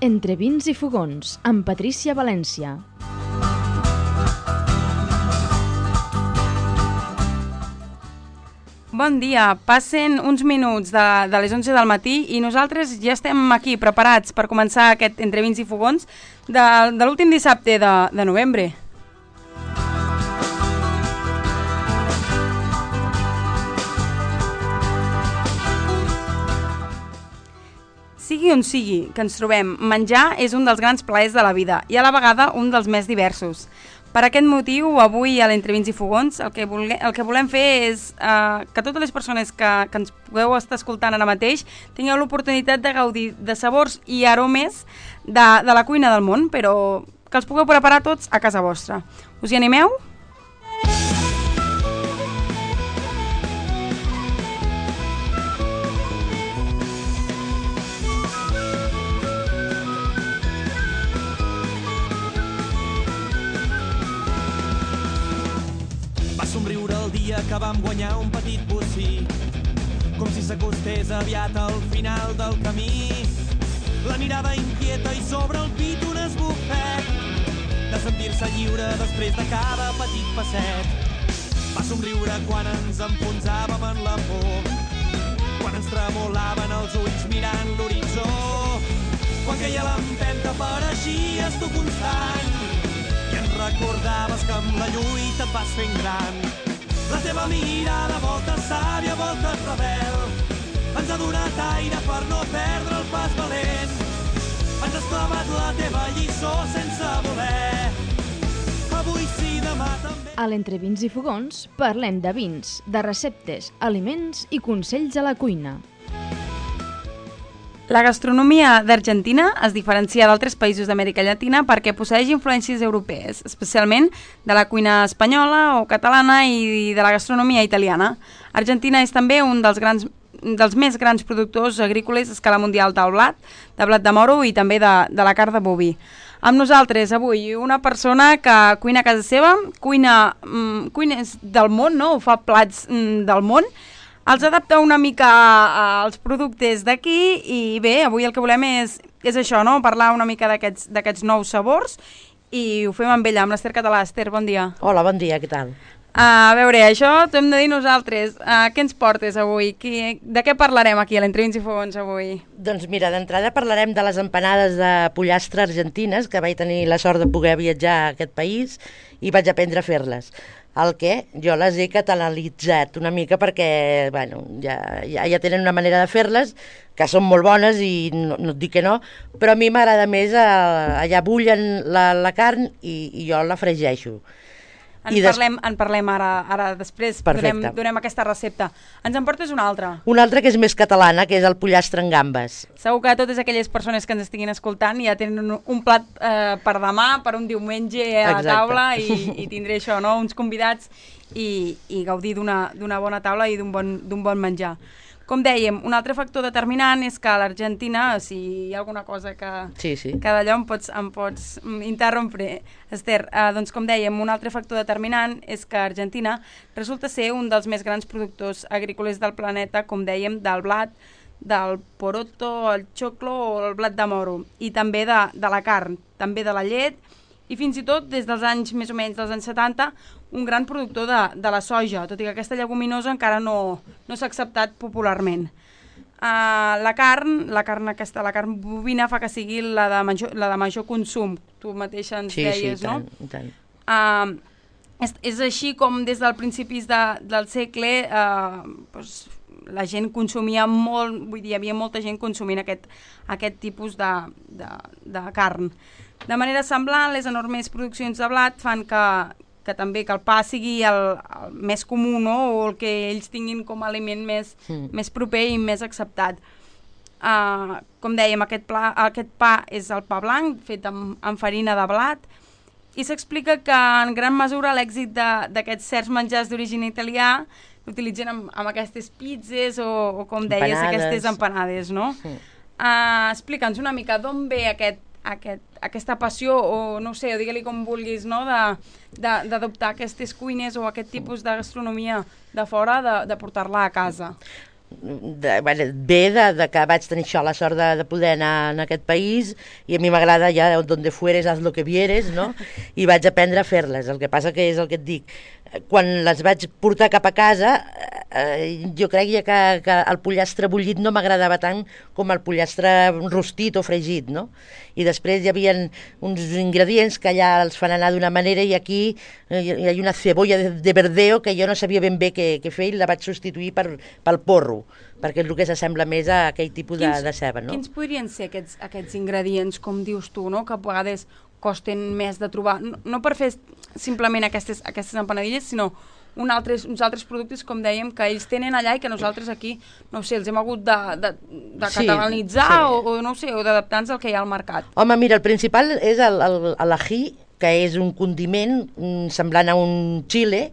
Entre vins i fogons, amb Patrícia València. Bon dia, passen uns minuts de les 11 del matí i nosaltres ja estem aquí preparats per començar aquest Entre vins i fogons de l'últim dissabte de novembre. Sigui on sigui que ens trobem, menjar és un dels grans plaers de la vida i a la vegada un dels més diversos. Per aquest motiu, avui a l'Entre vins i fogons el que volem fer és que totes les persones que ens pugueu estar escoltant ara mateix tingueu l'oportunitat de gaudir de sabors i aromes de la cuina del món, però que els pugueu preparar tots a casa vostra. Us hi animeu? Somriure el dia que vam guanyar un petit bocí, com si s'acostés aviat al final del camí. La mirada inquieta i sobre el pit un esbufec de sentir-se lliure després de cada petit passet. Va somriure quan ens enfonsàvem en la por, quan ens tremolaven els ulls mirant l'horitzó, quan queia l'empenta pareixies tu constant i ens recordaves que amb la lluita et vas fent gran. La teva mirada, volta sàvia, volta rebel, ens ha donat aire per no perdre el pas valent. Ens has clavat la teva lliçó sense voler. Avui sí, demà també. A l'Entre vins i fogons parlem de vins, de receptes, aliments i consells a la cuina. La gastronomia d'Argentina es diferencia d'altres països d'Amèrica Llatina perquè posseeix influències europees, especialment de la cuina espanyola o catalana i de la gastronomia italiana. Argentina és també un dels més grans productors agrícoles a escala mundial del blat de moro i també de la carn de boví. Amb nosaltres avui una persona que cuina a casa seva, cuines del món, no? Fa plats del món, els adapta una mica als productes d'aquí i bé, avui el que volem és això, no? Parlar una mica d'aquests nous sabors i ho fem amb ella, amb l'Ester Català. Ester, bon dia. Hola, bon dia, què tal? A veure, això t'ho hem de dir nosaltres. Què ens portes avui? De què parlarem aquí a l'Entre vins i fogons avui? Doncs mira, d'entrada parlarem de les empanades de pollastre argentines, que vaig tenir la sort de poder viatjar a aquest país i vaig aprendre a fer-les. El que jo les he catalanitzat una mica perquè bueno, ja tenen una manera de fer-les que són molt bones i no et dic que no, però a mi m'agrada més allà bullen la carn i jo la fregeixo. En parlem ara després, Perfecte. donem aquesta recepta. Ens en portes una altra? Una altra que és més catalana, que és el pollastre en gambes. Segur que totes aquelles persones que ens estiguin escoltant ja tenen un plat per demà, per un diumenge a la taula i tindré això, no? Uns convidats i gaudir d'una bona taula i d'un bon menjar. Com dèiem, un altre factor determinant és que a l'Argentina, si hi ha alguna cosa que d'allò em pots interrompre, Ester, doncs com dèiem, un altre factor determinant és que Argentina resulta ser un dels més grans productors agrícoles del planeta, com dèiem, del blat, del poroto, el xoclo o el blat de moro, i també de la carn, també de la llet, i fins i tot des dels anys, més o menys dels anys 70, un gran productor de la soja, tot i que aquesta lleguminosa encara no s'ha acceptat popularment. La carn bovina fa que sigui la de major consum, tu mateixa ens deies, no? Sí, tant. És així com des del principis del segle la gent consumia molt, vull dir, hi havia molta gent consumint aquest tipus de carn. De manera semblant, les enormes produccions de blat fan que també que el pa sigui el més comú, no? O el que ells tinguin com a aliment més proper i més acceptat. Com dèiem, aquest pa és el pa blanc, fet amb farina de blat, i s'explica que en gran mesura l'èxit d'aquests certs menjars d'origen italià l'utilitzen amb aquestes pizzas o com deies, aquestes empanades, no? Explica'ns una mica d'on ve aquesta passió, o no sé, o digue-li com vulguis, no? d'adoptar aquestes cuines o aquest tipus de gastronomia de fora, de portar-la a casa. ve que vaig tenir això, la sort de poder anar en aquest país, i a mi m'agrada ja donde fueres haz lo que vieres, no? I vaig aprendre a fer-les. El que passa que és el que et dic, quan les vaig portar cap a casa, jo creia que el pollastre bullit no m'agradava tant com el pollastre rostit o fregit, no? I després hi havia uns ingredients que allà els fan anar d'una manera, i aquí hi ha una cebolla de verdeo que jo no sabia ben bé què fer, i la vaig substituir pel porro, perquè és el que s'assembla més a aquell tipus de ceba, no? Quins podrien ser aquests ingredients, com dius tu, no? Que a vegades costen més de trobar, no per fer simplement aquestes empanadilles, sinó uns altres productes, com dèiem, que ells tenen allà i que nosaltres aquí, no sé, els hem hagut de catalanitzar o no sé, o d'adaptar-nos al que hi ha al mercat. Home, mira, el principal és l'ají, que és un condiment semblant a un xile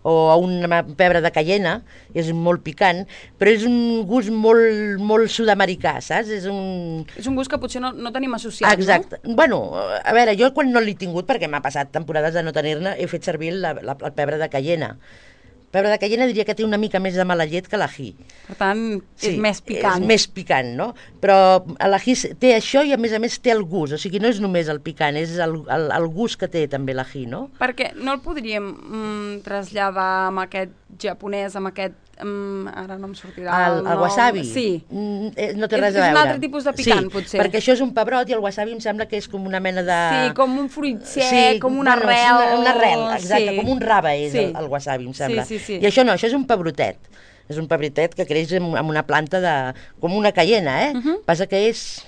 o a una pebre de cayena, és molt picant, però és un gust molt sud-americà, saps? És un gust que potser no tenim associat, exacte. No? Bueno, a veure, jo quan no l'he tingut, perquè m'ha passat temporades de no tenir-ne, he fet servir el pebre de cayena. Pebre de cayena diria que té una mica més de mala llet que l'ají. Per tant, és més picant. És més picant, no? Però l'ají té això i a més té el gust, o sigui, no és només el picant, és el gust que té també l'ají, no? Perquè no el podríem traslladar amb aquest japonès, amb aquest ara no em sortirà el wasabi? Sí. No té res a veure. És un altre tipus de picant, potser. Sí, perquè això és un pebrot i el wasabi em sembla que és com una mena de... Sí, com un fruit sec, com una arrel. Una arrel, exacte, com un rave és el wasabi, em sembla. Sí. I això no, això és un pebrotet. És un pebrotet que creix amb una planta com una cayena, Passa que és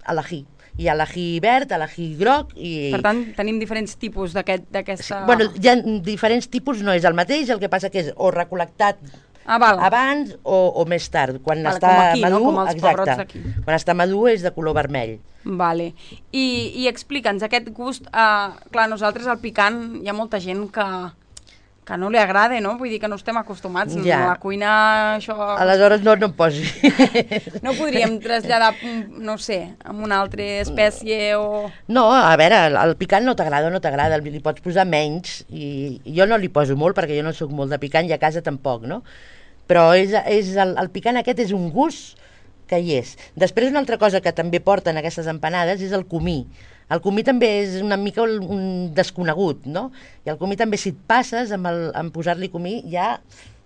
a l'ají. Hi ha l'ají verd, l'ají groc i... Per tant, tenim diferents tipus d'aquesta... Bueno, hi ha diferents tipus, no és el mateix, el que passa que és o recol·lectat abans o més tard. Quan està com aquí, madur, no? Com els pebrots d'aquí. Quan està madur és de color vermell. Vale. I explica'ns, aquest gust... clar, nosaltres al picant hi ha molta gent que no li agrada, no? Vull dir que no estem acostumats. Ja. A la cuina, això... Aleshores no em posi. No podríem traslladar, no sé, amb una altra espècie o... No, a veure, el picant no t'agrada o no t'agrada, li pots posar menys, i jo no li poso molt perquè jo no sóc molt de picant i a casa tampoc, no? Però el picant aquest és un gust que hi és. Després una altra cosa que també porten aquestes empanades és el comí. El comí també és una mica un desconegut, no? I el comí també, si et passes amb posar-li comí, ja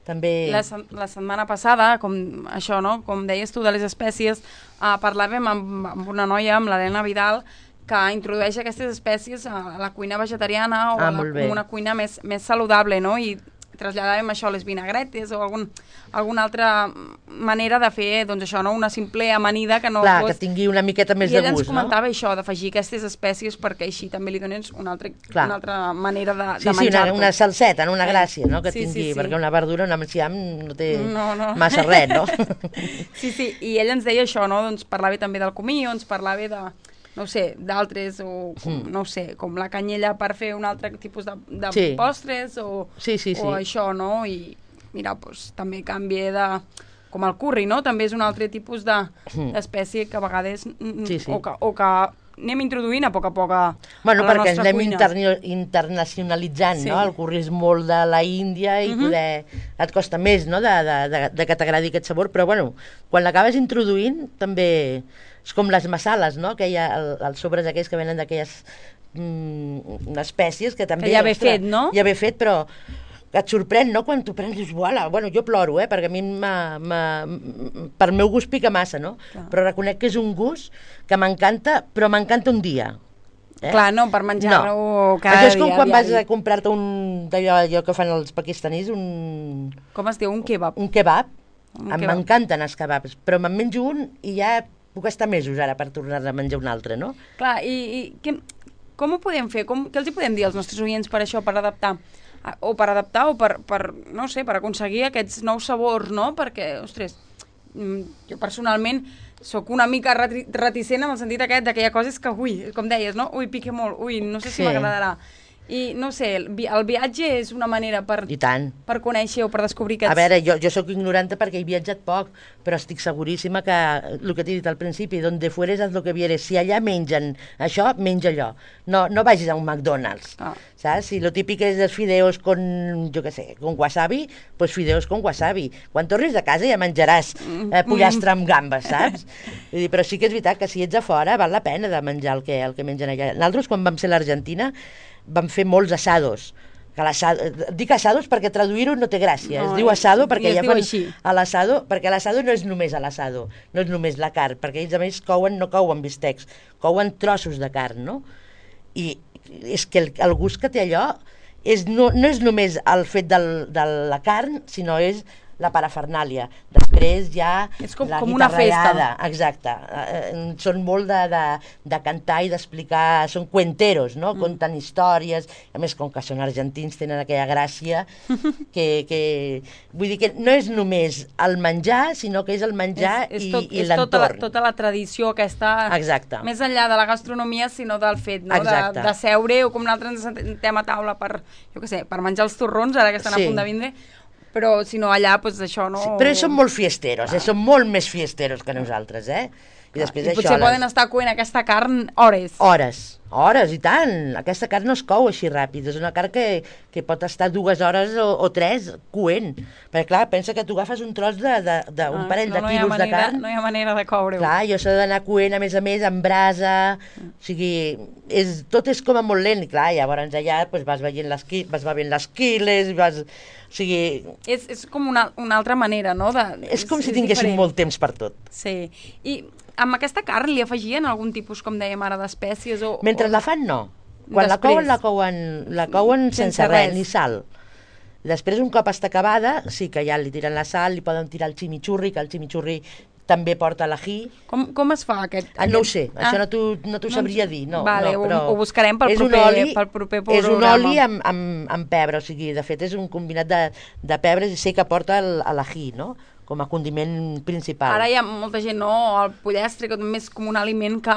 també... La setmana passada, com això, no? Com deies tu, de les espècies, parlàvem amb una noia, amb l'Helena Vidal, que introdueix aquestes espècies a la cuina vegetariana o a una cuina més saludable, no? I traslladàvem això a les vinagretes o alguna altra manera de fer, doncs això, no? Una simple amanida que no fos... Clar, que tingui una miqueta més de gust, no? I ella ens comentava això, d'afegir aquestes espècies perquè així també li dones una altra manera de menjar-ho. Sí, una salseta, una gràcia, no? Que tingui, perquè una verdura, un enciam no té massa res, no? Sí, i ella ens deia això, no? Doncs parlava també del comí, o ens parlava de... no sé, d'altres, o no sé, com la canyella per fer un altre tipus de postres, o això, no? I mira, doncs també canvia de... com el curri, no? També és un altre tipus d'espècie que a vegades... o que anem introduint a poc a la nostra cuina. Bueno, perquè ens anem internacionalitzant, no? El curri és molt de la Índia i poder... et costa més, no?, de que t'agradi aquest sabor, però bueno, quan l'acabes introduint també... És com les masales, no?, que hi ha els sobres aquells que venen d'aquelles espècies que també... Que ja ve fet, no? Ja ve fet, però que et sorprèn, no?, quan t'ho prens, dius, uala, bueno, jo ploro, perquè a mi per meu gust pica massa, no? Clar. Però reconec que és un gust que m'encanta, però m'encanta un dia. Clar, no, per menjar-ho cada dia. Això és com quan vas a comprar-te allò que fan els pakistanis, com es diu? Un kebab. Un kebab. M'encanten els kebabs, però me'n menjo un i ja puc estar mesos ara per tornar a menjar un altre, no? Clar, i com ho podem fer? Què els hi podem dir als nostres oients per això, per adaptar? O per no sé, per aconseguir aquests nous sabors, no? Perquè, ostres, jo personalment sóc una mica reticent en el sentit aquest que hi ha coses que, ui, com deies, no? Ui, pica molt, ui, no sé si m'agradarà. I no sé, el viatge és una manera per conèixer o per descobrir aquests... A veure, jo sóc ignorante perquè he viatjat poc, però estic seguríssima que el que t'he dit al principi, donde fueres haz lo que vieres, si allà mengen això, menja allò. No vagis a un McDonald's, saps? Si lo típic és els fideos con, jo què sé, con wasabi, pues fideos con wasabi. Quan tornis de casa ja menjaràs pollastre amb gambes, saps? Vull dir, però sí que és veritat que si ets a fora val la pena de menjar el que mengen allà. Nosaltres, quan vam ser a l'Argentina, vam fer molts assados. Dic assados perquè traduir-ho no té gràcia. Es diu assado perquè ja fan a l'assado, perquè l'assado no és només a l'assado, no és només la carn, perquè ells a més no couen bistecs, couen trossos de carn, no? I és que el gust que té allò no és només el fet de la carn, sinó és la parafernàlia. Després ja és com la una festa. Exacte. Són molt de cantar i d'explicar, són cuenteros, no? Conten històries, a més com que són argentins tenen aquella gràcia que vull dir que no és només el menjar, sinó que és el menjar i l'entorn. És tota la tradició aquesta, exacte, més enllà de la gastronomia, sinó del fet, no? De seure, o com nosaltres ens sentem a taula per, jo què sé, per menjar els torrons, ara que estan a punt de vindre, però si no allà, doncs això no... Sí, però ells són molt fiesteros, són molt més fiesteros que nosaltres, I després I potser poden estar coent aquesta carn hores. Hores, i tant. Aquesta carn no es cou així ràpid, és una carn que pot estar 2 hores o 3 coent. Perquè clar, pensa que tu agafes un tros d'un parell de quilos de carn. No hi ha manera de coure-ho. Clar, i això s'ha d'anar coent, a més, amb brasa, o sigui, tot és com a molt lent, i clar, llavors allà vas veient les quiles, o sigui... És com una altra manera, no? És com si tinguéssim molt temps per tot. Sí, i amb aquesta carn li afegien algun tipus, com dèiem ara, d'espècies? Mentre la fan, no. Quan la couen sense res, ni sal. Després, un cop està acabada, sí que ja li tiren la sal, li poden tirar el chimichurri, que el chimichurri també porta l'ají. Com es fa aquest? No ho sé, això no t'ho sabria dir. Vale, ho buscarem pel proper programa. És un oli amb pebre, o sigui, de fet és un combinat de pebres i sé que porta l'ají, no?, com a condiment principal. Ara hi ha molta gent, no?, el pollastre, que és com un aliment que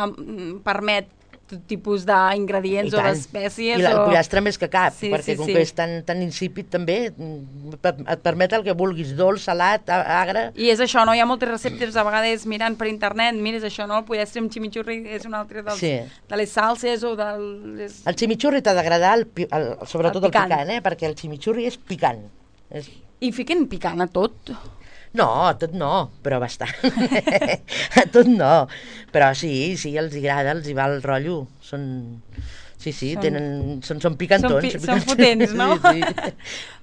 permet tot tipus d'ingredients o d'espècies. I el pollastre més que cap, perquè com que és tan insípid també, et permet el que vulguis, dolç, salat, agre... I és això, no? Hi ha moltes receptes, a vegades mirant per internet, mires això, no? El pollastre amb chimichurri és un altre de les salses o del... El chimichurri t'ha d'agradar, sobretot el picant, perquè el chimichurri és picant. I fiquen picant a tot? No, tot no, però bastant. A tot no. Però sí, els agrada, els hi va el rotllo. Són picantons. Són potents, no? Sí.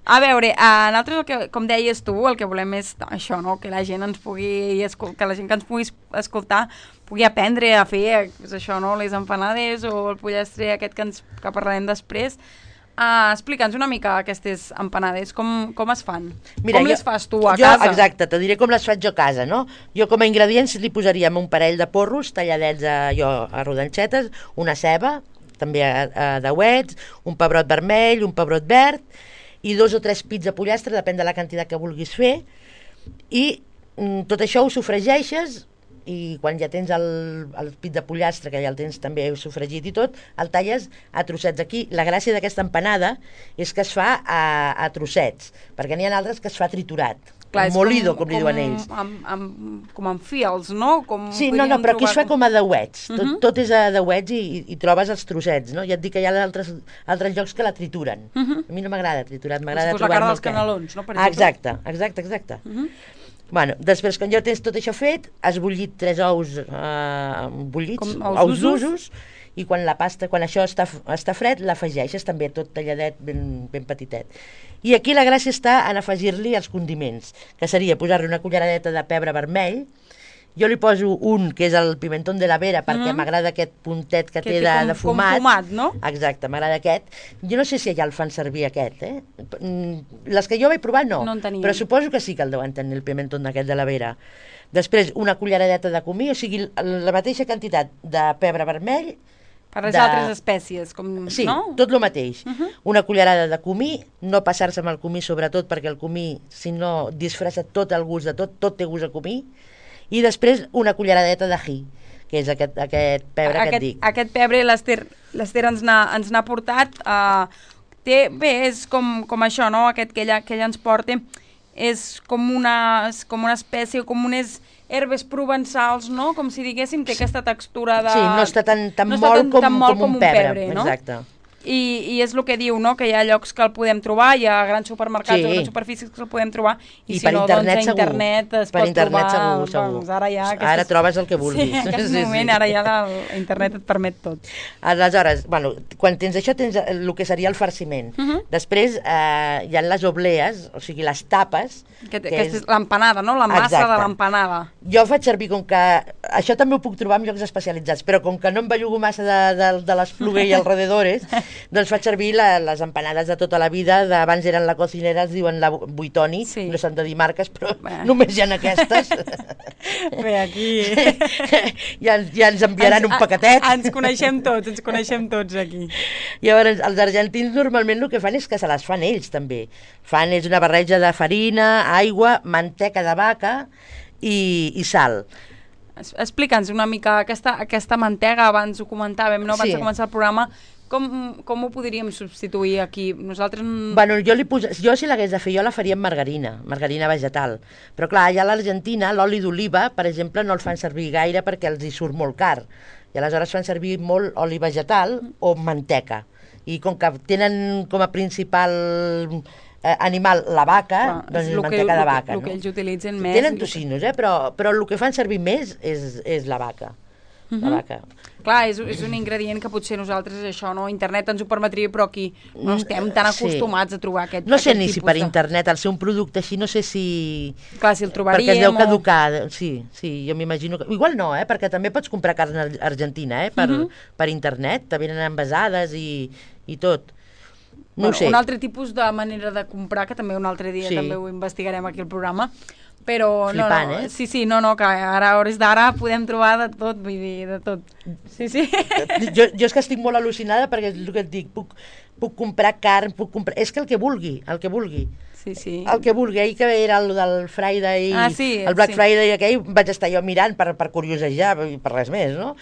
A veure, nosaltres, com deies tu, el que volem és això, no? Que la gent que la gent que ens pugui escoltar pugui aprendre a fer això, no? Les empanades o el pollastre aquest que parlarem després. Explica'ns una mica aquestes empanades, com es fan? Mira, com les fas tu a casa? Exacte, te diré com les faig jo a casa, no? Jo com a ingredients li posaríem un parell de porros talladets a rodanxetes, una ceba, també a dauets, un pebrot vermell, un pebrot verd, i 2 o 3 pits de pollastre, depèn de la quantitat que vulguis fer, i tot això ho sofregeixes, i quan ja tens el pit de pollastre, que ja el tens també sofregit i tot, el talles a trossets. Aquí la gràcia d'aquesta empanada és que es fa a trossets, perquè n'hi ha altres que es fa triturat. Clar, molido, com li diuen ells. Com amb fils, no? Sí, no, però aquí es fa com a dauets. Tot és a dauets i trobes els trossets, no? Ja et dic que hi ha altres llocs que la trituren. A mi no m'agrada triturat, m'agrada trobar-me... la cara dels canelons, no? Per exemple. Exacte. Bueno, després, quan ja tens tot això fet, has bullit 3 ous bullits, ous d'usos, i quan això està fred, l'afegeixes també tot talladet, ben petitet. I aquí la gràcia està en afegir-li els condiments, que seria posar-li una culleradeta de pebre vermell. Jo li poso un, que és el pimentón de la Vera, perquè m'agrada aquest puntet que té de fumat. Com fumat, no? Exacte, m'agrada aquest. Jo no sé si allà el fan servir aquest, Les que jo vaig provar no, però suposo que sí que el deuen tenir, el pimentón d'aquest de la Vera. Després, una culleradeta de comí, o sigui, la mateixa quantitat de pebre vermell. Per les altres espècies, no? Sí, tot el mateix. Una cullerada de comí, no passar-se amb el comí sobretot, perquè el comí, si no, disfressa tot el gust de tot té gust a comí. I després una culleradeta d'ají, que és aquest pebre que et dic. Aquest pebre l'Ester ens n'ha portat. Bé, és com això, no? Aquest que ella ens porta és com una espècie, com unes herbes provençals, no? Com si diguéssim, té aquesta textura de... Sí, no està tan molt com un pebre, no? Exacte. I és el que diu, no? Que hi ha llocs que el podem trobar, hi ha grans supermercats o grans superfícies que el podem trobar, i si no, doncs a internet es pot trobar. Segur. Ara trobes el que vulguis. Sí, en aquest moment, ara ja internet et permet tot. Aleshores, quan tens això, tens el que seria el farciment. Després hi ha les oblees, o sigui, les tapes. Que és l'empanada, no? La massa de l'empanada. Jo faig servir, com que... Això també ho puc trobar en llocs especialitzats, però com que no em bellugo massa de l'Espluga i alrededores, doncs faig servir les empanades de tota la vida, abans eren la cocinera, es diuen la Buitoni, no s'han de dir marques, però només hi ha aquestes. Bé, aquí... Ja ens enviaran un paquetet. Ens coneixem tots aquí. Llavors, els argentins normalment el que fan és que se les fan ells també. És una barreja de farina, aigua, manteca de vaca i sal. Explica'ns una mica aquesta mantega, abans ho comentàvem, no? Abans de començar el programa, com ho podríem substituir aquí? Nosaltres... Jo si l'hagués de fer, jo la faria amb margarina vegetal. Però clar, allà a l'Argentina l'oli d'oliva, per exemple, no el fan servir gaire perquè els hi surt molt car. I aleshores fan servir molt oli vegetal o manteca. I com que tenen com a principal animal la vaca, doncs manteca de vaca. El que ells utilitzen més... Tenen tocinos, però el que fan servir més és la vaca. La vaca. Clar, és un ingredient que potser nosaltres, això, no? Internet ens ho permetria, però aquí no estem tan acostumats a trobar aquest tipus. No sé ni si per internet, al ser un producte així, no sé si... Clar, si el trobaríem... Perquè es deu caducar, sí, jo m'imagino que... Igual no, perquè també pots comprar carn argentina, per internet, te venen envasades i tot. No ho sé. Un altre tipus de manera de comprar, que també un altre dia també ho investigarem aquí al programa, però flipant, sí, que ara a hores d'ara podem trobar de tot, vull dir, de tot. Sí. Jo és que estic molt al·lucinada perquè és el que et dic, puc comprar carn, és que el que vulgui. Sí. El que vulgui, ahir que era el del Friday, el Black Friday aquell, vaig estar jo mirant per curiosejar, per res més, no?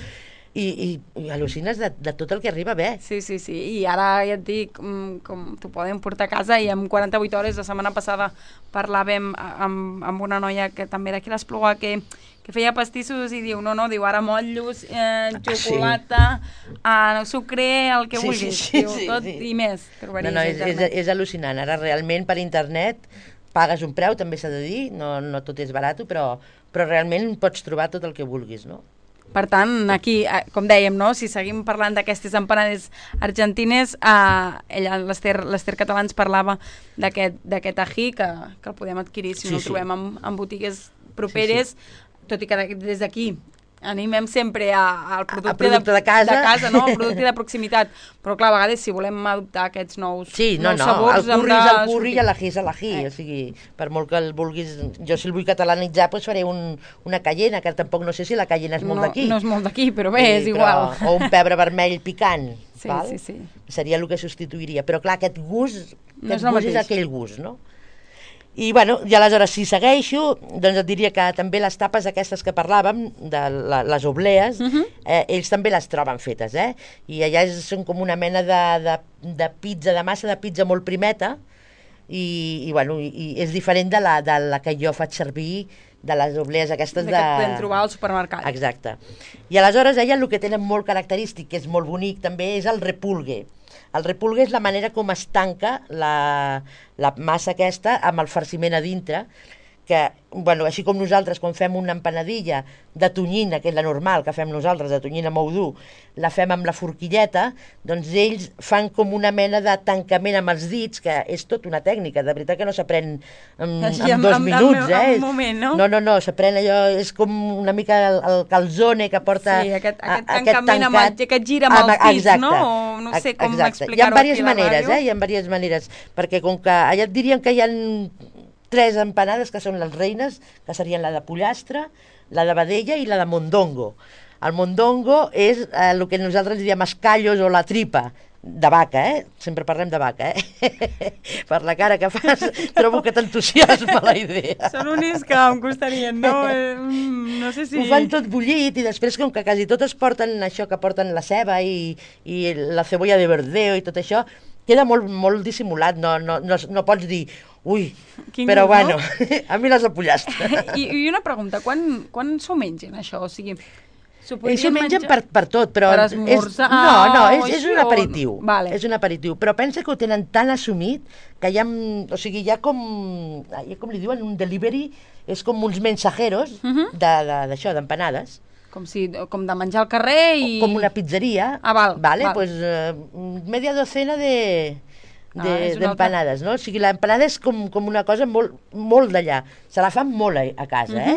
I al·lucines de tot el que arriba bé. Sí, i ara ja et dic, com t'ho poden portar a casa, i en 48 hores, la setmana passada parlàvem amb una noia que també d'aquí l'Espluga que feia pastissos i diu, diu, ara motllos, xocolata, sucre, el que vulguis, tot i més. És al·lucinant, ara realment per internet pagues un preu, també s'ha de dir, no tot és barat, però realment pots trobar tot el que vulguis, no? Per tant, aquí, com dèiem, no? Si seguim parlant d'aquestes empanades argentines, l'Ester Català ens parlava d'aquest ají que el podem adquirir si no el trobem en botigues properes, tot i que des d'aquí animem sempre al producte de casa, no? El producte de proximitat, però clar, a vegades si volem adoptar aquests nous sabors... El curri i l'ají és l'ají, o sigui, per molt que el vulguis... Jo si el vull catalanitzar, doncs faré una cayena, que tampoc no sé si la cayena és molt d'aquí. No és molt d'aquí, però bé, és igual. O un pebre vermell picant, val? Sí. Seria el que substituiria, però clar, aquest gust és aquell gust, no? I aleshores, si segueixo, doncs et diria que també les tapes aquestes que parlàvem, de les oblees, ells també les troben fetes, i allà són com una mena de pizza, de massa de pizza molt primeta, i és diferent de la que jo faig servir, de les oblees aquestes que podem trobar al supermercat. Exacte. I aleshores ella el que tenen molt característic, que és molt bonic també, és el repulgue. El repulgue és la manera com es tanca la massa aquesta amb el farciment a dintre, que, així com nosaltres quan fem una empanadilla de tonyina, que és la normal que fem nosaltres, de tonyina molt dur, la fem amb la forquilleta, doncs ells fan com una mena de tancament amb els dits, que és tot una tècnica, de veritat que no s'aprèn en 2 minuts, en un moment, no? No, s'aprèn allò, és com una mica el calzone que porta... Sí, aquest tancament que gira amb els dits, no? O no sé com explicar-ho aquí a la ràdio. Hi ha diverses maneres, hi ha diverses maneres, perquè com que allà et dirien que hi ha 3 empanades que són les reines, que serien la de pollastre, la de vedella i la de mondongo. El mondongo és el que nosaltres diríem escallos o la tripa. de vaca, sempre parlem de vaca, per la cara que fas, trobo que t'entusiasma la idea. Són únics que em costarien, no? No sé si... Ho fan tot bullit i després, com que quasi totes porten això, que porten la ceba i la cebolla de verdeo i tot això, queda molt dissimulat, no pots dir, ui, però bueno, a mi les de pollastre. I una pregunta, quan s'ho mengen, això? O sigui... Ells ho mengen per tot, però... Per esmorzar... és un aperitiu. Vale. És un aperitiu, però pensa que ho tenen tan assumit que hi ha... O sigui, hi ha com li diuen, un delivery, és com uns mensajeros d'això, d'empanades. Com de menjar al carrer i... Com una pizzeria. Val. Pues media docena d'empanades, no? O sigui, l'empanada és com una cosa molt d'allà. Se la fan molt a casa,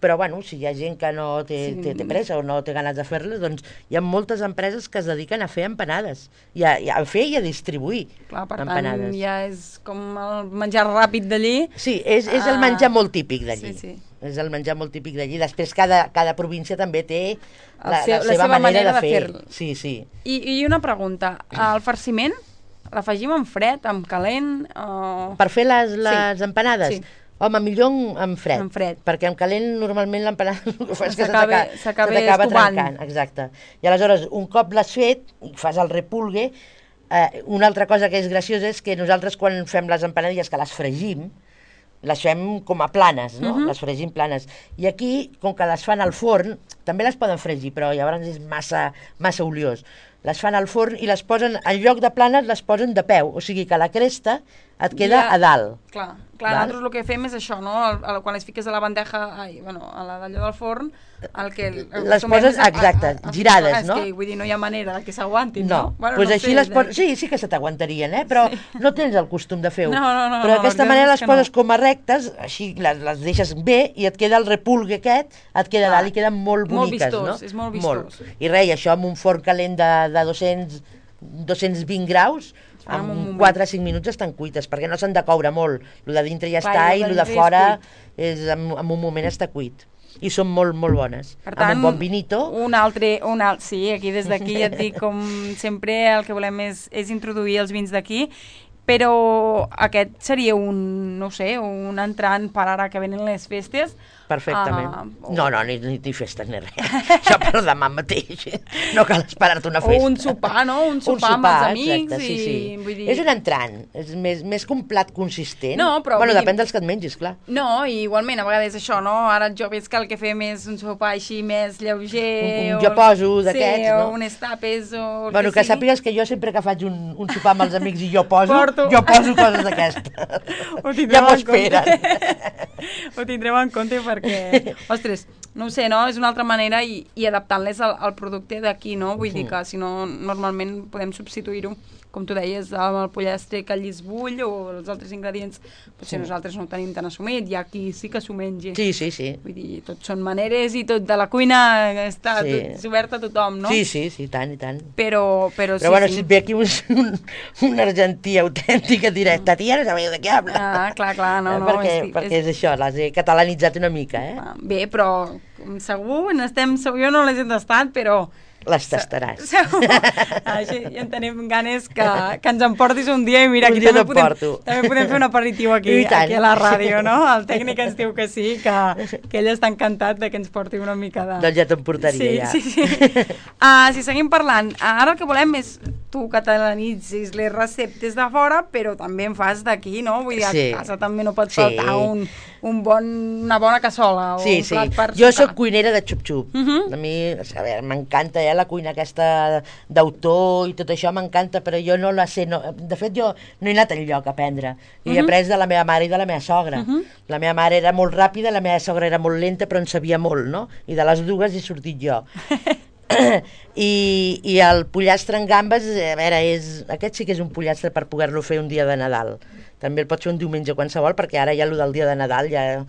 Però, bueno, si hi ha gent que no té pressa o no té ganes de fer-les, doncs hi ha moltes empreses que es dediquen a fer empanades, a fer i a distribuir empanades. Clar, per tant, ja és com el menjar ràpid d'allí. Sí, és el menjar molt típic d'allí. Sí. És el menjar molt típic d'allí. Després, cada província també té la seva manera de fer. Sí. I una pregunta, el farciment l'afegim en fred, en calent? Per fer les empanades? Sí. Home, millor en fred. En fred. Perquè en calent normalment l'empanada el que fa és que s'acaba trencant. Exacte. I aleshores, un cop l'has fet, i fas el repulgue, una altra cosa que és graciosa és que nosaltres quan fem les empanadilles que les fregim, les fem com a planes, no? Les fregim planes. I aquí, com que les fan al forn, també les poden fregir, però llavors és massa oliós. Les fan al forn i les posen, en lloc de planes, les posen de peu. O sigui que la cresta et queda a dalt. Clar, nosaltres el que fem és això, no? Quan les fiques a la bandeja, a d'allò del forn, les poses, exacte, girades, no? És que, vull dir, no hi ha manera que s'aguantin, no? Doncs així les poses... Sí que se t'aguantarien, però no tens el costum de fer-ho. Però d'aquesta manera les poses com a rectes, així les deixes bé i et queda el repulgue aquest, et queda dalt i queden molt boniques, no? Molt vistós, és molt vistós. I res, això amb un forn calent de 220 graus, en 4 o 5 minuts estan cuites, perquè no s'han de coure molt. El de dintre ja està i el de fora en un moment està cuit. I són molt bones. Per tant, amb un bon vinito. Sí, aquí des d'aquí ja et dic, com sempre el que volem és introduir els vins d'aquí, però aquest seria un entrant per ara que venen les festes. Perfectament. No, ni festes ni res. Això per demà mateix. No cal esperar-te una festa. O un sopar, no? Un sopar amb els amics. Exacte, sí. Vull dir... És un entrant. És més que un plat consistent. No, però... Bueno, depèn dels que et mengis, clar. No, i igualment, a vegades això, no? Ara els joves que el que fem és un sopar així més lleuger... Jo poso d'aquests, no? O un estapes o el que sigui. Que sàpigues que jo sempre que faig un sopar amb els amics i jo poso coses d'aquestes. Ja m'ho esperen. Ho tindrem en compte perquè, ostres, no ho sé, no? És una altra manera i adaptant-les al producte d'aquí, no? Vull dir que si no, normalment podem substituir-ho, com tu deies, amb el pollastre que allí es bull o els altres ingredients, potser nosaltres no ho tenim tan assumit, hi ha qui sí que s'ho mengi. Sí. Vull dir, tot són maneres i tot de la cuina està obert a tothom, no? Sí, tant i tant. Però sí, bueno, si et ve aquí un argentí autèntic et diré, tia, no sabeu de què habla. Clar, no. Perquè és això, les he catalanitzat una mica, Bé, però segur, jo no les he tastat, però... Les tastaràs. Així ja en tenim ganes que ens emportis un dia i mira, aquí també podem fer un aperitiu aquí a la ràdio, no? El tècnic ens diu que sí, que ell està encantat de que ens porti una mica de... Doncs ja t'emportaria, ja. Sí. Si seguim parlant, ara el que volem és tu catalanitzis les receptes de fora, però també en fas d'aquí, no? Vull dir, a casa també no pot faltar una bona cassola o un plat per Jo soc cuinera de xup-xup. A mi, m'encanta la cuina aquesta d'autor i tot això m'encanta, però jo no la sé. De fet, jo no he anat enlloc a aprendre. He après de la meva mare i de la meva sogra. La meva mare era molt ràpida, la meva sogra era molt lenta, però en sabia molt, no? I de les dues he sortit jo. I el pollastre en gambes, a veure, aquest sí que és un pollastre per poder-lo fer un dia de Nadal. També el pots fer un diumenge qualsevol, perquè ara ja el del dia de Nadal ja no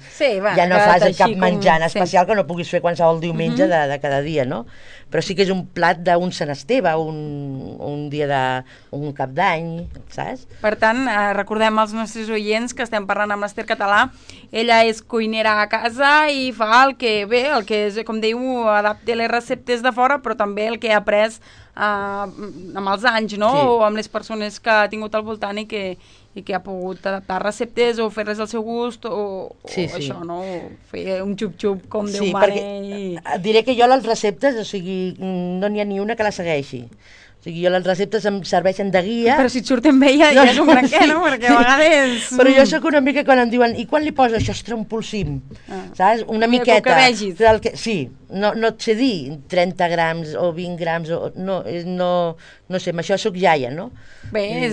fas cap menjar en especial que no puguis fer qualsevol diumenge de cada dia, no? Però sí que és un plat d'un Sant Esteve, un dia d'un cap d'any, saps? Per tant, recordem als nostres oients que estem parlant amb l'Ester Català. Ella és cuinera a casa i fa el que és, com diu, adapta les receptes de fora, però també el que ha après amb els anys, no? Sí. O amb les persones que ha tingut al voltant i que ha pogut adaptar receptes o fer-les al seu gust o això, no? O fer un xup-xup com Déu mare. Diré que jo les receptes, o sigui, no n'hi ha ni una que la segueixi. O sigui, jo les receptes em serveixen de guia. Però si et surten bé ja és un branquer, no? Perquè a vegades... Però jo sóc una mica quan em diuen, i quan li poso això? Ostres, un polsim, saps? Una miqueta. Que vegis. Sí, no et sé dir 30 grams o 20 grams, no sé, amb això sóc iaia, no? Bé,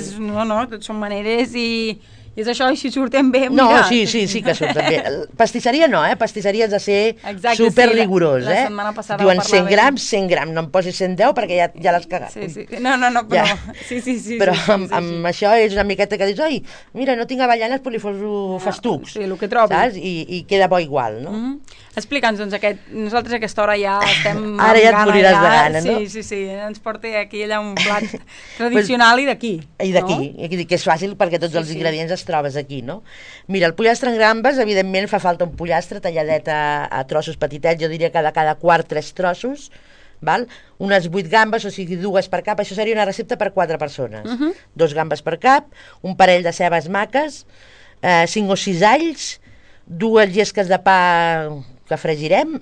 tot són maneres i és això, i si surten bé, mira. No, sí que surten bé. Pastisseria no, Pastisseria has de ser super rigorós, la setmana passada diuen 100 grams, no em posis 110 perquè ja l'has cagat. Sí. No, però... Sí. Però amb això és una miqueta que dius, oi, mira, no tinc avellanes, però li poso festucs. Sí, el que trobi. Saps? I queda bo igual, no? Explica'ns, doncs, nosaltres a aquesta hora ja estem... Ara ja et moriràs de gana, no? Sí, ens porta aquí allà un plat tradicional i d'aquí. I d'aquí, que és fàcil perquè tots els ingredients es trobes aquí, no? Mira, el pollastre en gambes, evidentment fa falta un pollastre talladet a trossos petitets, jo diria que de cada quart 3 trossos, val? Unes 8 gambes, o sigui 2 per cap, això seria una recepta per 4 persones. 2 gambes per cap, un parell de cebes maques, 5 o 6 alls, 2 llesques de pa que fregirem,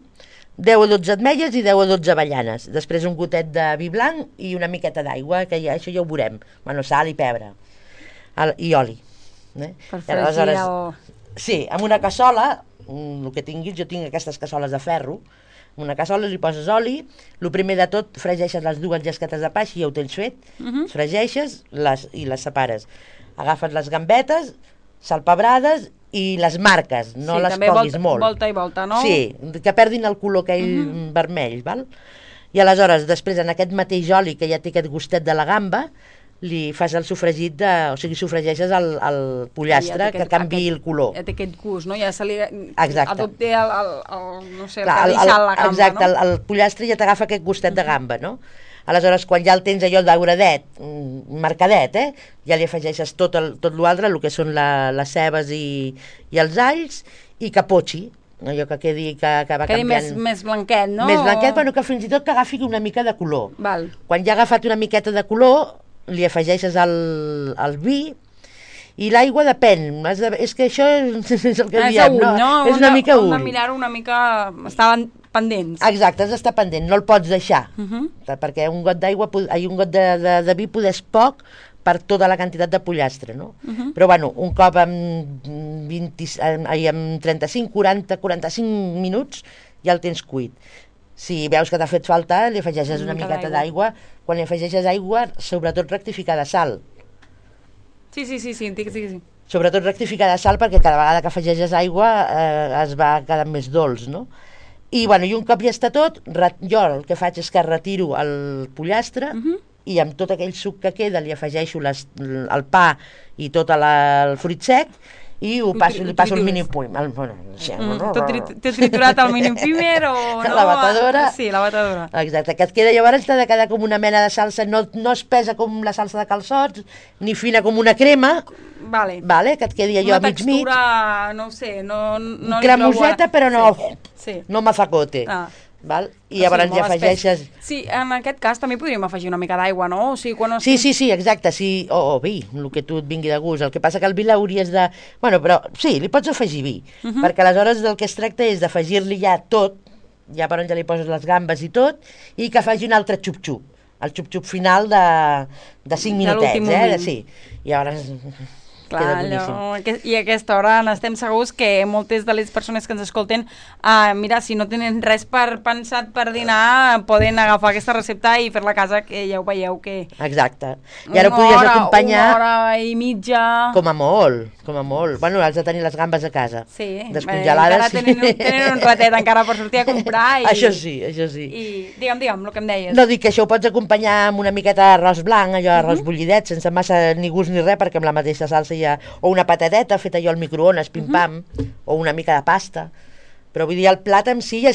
10 o 12 ametlles i 10 o 12 avellanes. Després un gotet de vi blanc i una miqueta d'aigua, que això ja ho veurem. Bueno, sal i pebre. I oli. Per fregir Sí, amb una cassola, el que tinguis, jo tinc aquestes cassoles de ferro, en una cassola li poses oli, el primer de tot fregeixes les 2 llesquetes de pa, així ja ho tens fet, fregeixes i les separes. Agafes les gambetes, salpebrades i les marques, no les coguis molt. Volta i volta, no? Sí, que perdin el color aquell vermell, val? I aleshores, després, en aquest mateix oli que ja té aquest gustet de la gamba, li fas el sofregit o sigui, sofregeixes el pollastre que canviï el color. Ja té aquest gust, no? Ja se li adopta no sé, el que ha deixat la gamba, exacte, no? El pollastre ja t'agafa aquest gustet de gamba, no? Aleshores, quan ja el tens allò dauradet, marcadet, ja li afegeixes tot l'altre, el que són les cebes i els alls, i capotxi, allò que quedi que va canviant. Quedi més blanquet, no? Més blanquet, però que fins i tot que agafi una mica de color. Val. Quan ja ha agafat una miqueta de color, li afegeixes el vi, i l'aigua depèn. És que això és el que diem, no? És una mica ull. Hem de mirar una mica... Estaven pendents. Exacte, has d'estar pendent, no el pots deixar, perquè un got d'aigua, un got de vi és poc per tota la quantitat de pollastre, no? Però bueno, un cop amb 35, 40, 45 minuts ja el tens cuit. Si veus que t'ha fet falta, li afegeixes una miqueta d'aigua. Quan li afegeixes aigua, sobretot rectificar de sal. Sí, digues. Sobretot rectificar de sal, perquè cada vegada que afegeixes aigua es va quedant més dolç, no? I, bueno, i un cop ja està tot, jo el que faig és que retiro el pollastre i amb tot aquell suc que queda li afegeixo el pa i tot el fruit sec i li passo el mini primer. T'he triturat el mini primer o no? La batedora. Sí, la batedora. Exacte, que et queda, llavors t'ha de quedar com una mena de salsa, no espessa com la salsa de calçots, ni fina com una crema, vale, que et quedi allò una mig mig. Una textura, no ho sé, no cremoseta, però no mazacote. Val? I llavors ja afegeixes... Sí, en aquest cas també podríem afegir una mica d'aigua, no? O sigui, quan sí, exacte, sí, o vi, el que tu et vingui de gust. El que passa que el vi l'hauries de... Bueno, però sí, li pots afegir vi, perquè aleshores del que es tracta és d'afegir-li ja tot, ja per on ja li poses les gambes i tot, i que faci un altre xup-xup, el xup-xup final de 5 minutets, sí. I llavors... Clar, i a aquesta hora n'estem segurs que moltes de les persones que ens escolten, mira, si no tenen res pensat per dinar, poden agafar aquesta recepta i fer-la a casa, que ja ho veieu que... Exacte. I ara podries acompanyar... Una hora i mitja... Com a molt. Bueno, has de tenir les gambes a casa. Sí. Descongelades. Tenen un ratet encara per sortir a comprar. Això sí. I digue'm, el que em deies. No, dic que això ho pots acompanyar amb una miqueta d'arròs blanc, allò arròs bullidet, sense massa ni gust ni res, perquè amb la mateixa salsa o una patateta feta allò al microones, pim-pam, o una mica de pasta, però vull dir, el plat en si ja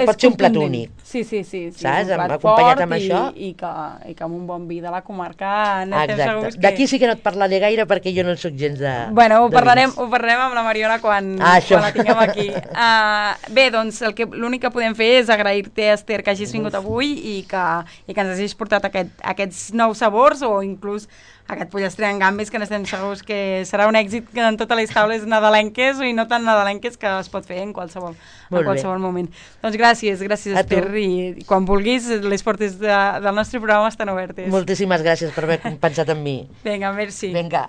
pot ser un plat únic. Sí. Saps? Un plat Acompanyat fort amb això. I que amb un bon vi de la comarca n'estem segurs que... D'aquí sí que no et parlaré gaire perquè jo no en soc gens de... Bueno, ho parlarem amb la Mariona quan la tinguem aquí. Bé, doncs l'únic que podem fer és agrair-te, Esther, que hagis vingut avui i que ens hagis portat aquests nous sabors o inclús aquest pollastre en gambes que n'estem segurs que serà un èxit en totes les taules nadalenques i no tan nadalenques que es pot fer en qualsevol moment. Doncs gràcies Esther, i quan vulguis les portes del nostre programa estan obertes. Moltíssimes gràcies per haver pensat en mi. Vinga, merci. Vinga.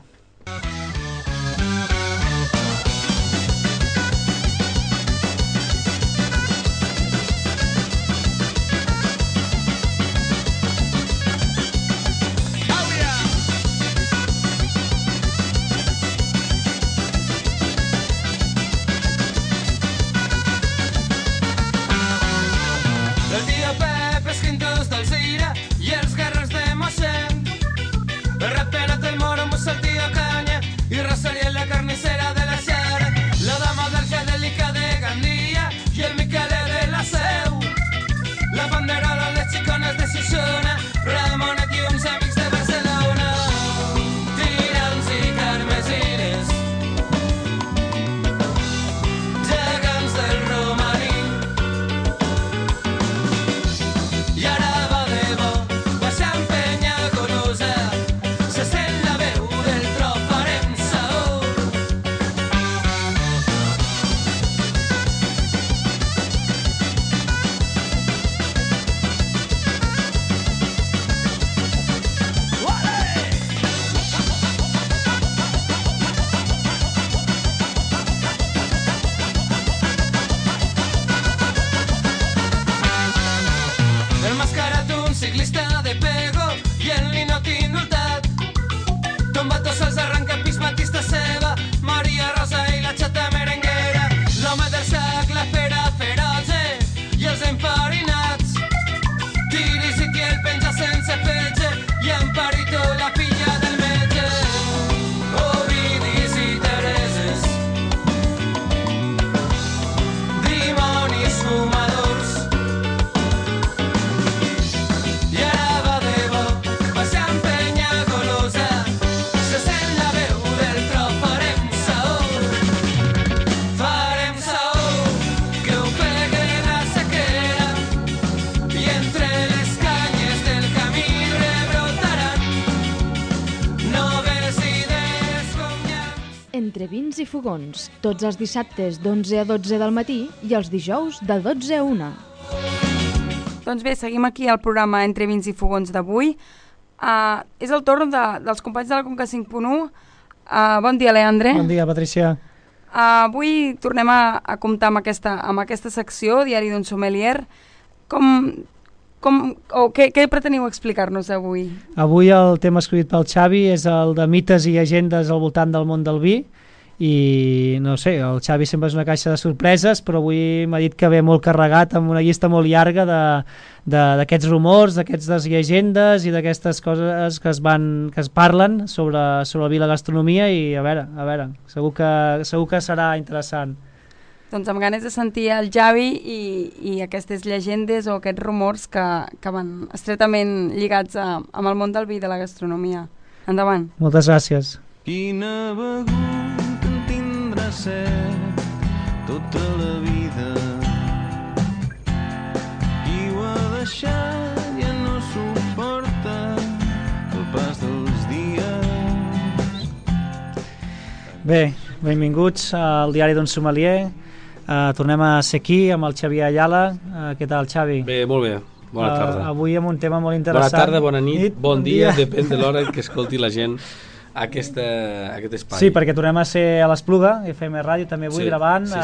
Entre vins i fogons, tots els dissabtes d'11 a 12 del matí i els dijous de 12 a 1. Doncs bé, seguim aquí al programa Entre vins i fogons d'avui. És el torn dels companys de la Conca 5.1. Bon dia, Leandre. Bon dia, Patricia. Avui tornem a comptar amb aquesta secció, Diari d'un sommelier. Què preteniu explicar-nos avui? Avui el tema escollit pel Xavi és el de mites i llegendes al voltant del món del vi, i no sé, el Xavi sempre és una caixa de sorpreses, però avui m'ha dit que ve molt carregat amb una llista molt llarga d'aquests rumors, d'aquestes llegendes i d'aquestes coses que es parlen sobre el vi i la gastronomia, i a veure, segur que serà interessant. Doncs amb ganes de sentir el Xavi i aquestes llegendes o aquests rumors que van estretament lligats amb el món del vi i de la gastronomia. Endavant. Moltes gràcies. Quina begut en tindrà set tota la vida. Qui ho ha deixat ja no suporta el pas dels dies. Bé, benvinguts al Diari d'un sommelier. Tornem a ser aquí amb el Xavier Ayala. Què tal, Xavi? Bé, molt bé. Bona tarda. Avui amb un tema molt interessant. Bona tarda, bona nit, bon dia, depèn de l'hora que escolti la gent aquest espai. Sí, perquè tornem a ser a l'Espluga, FM Ràdio, també avui gravant, sí.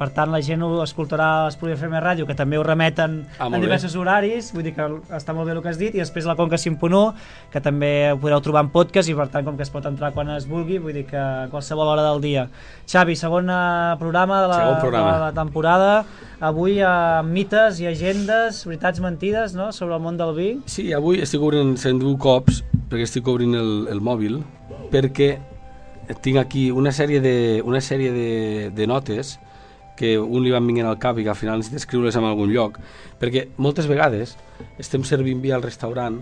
Per tant la gent ho escoltarà a l'Espluga FM Ràdio, que també ho remeten en diversos horaris, vull dir que està molt bé el que has dit, i després la Conca 5.1, que també ho podreu trobar en podcast, i per tant com que es pot entrar quan es vulgui, vull dir que a qualsevol hora del dia. Xavi, segon programa de la temporada, avui mites i agendes, veritats mentides, no?, sobre el món del vi. Sí, avui estic obrint 101 cops, perquè estic obrint el mòbil, perquè tinc aquí una sèrie de notes que un li van vinguent al cap i que al final necessita escriure-les en algun lloc, perquè moltes vegades estem servint vi al restaurant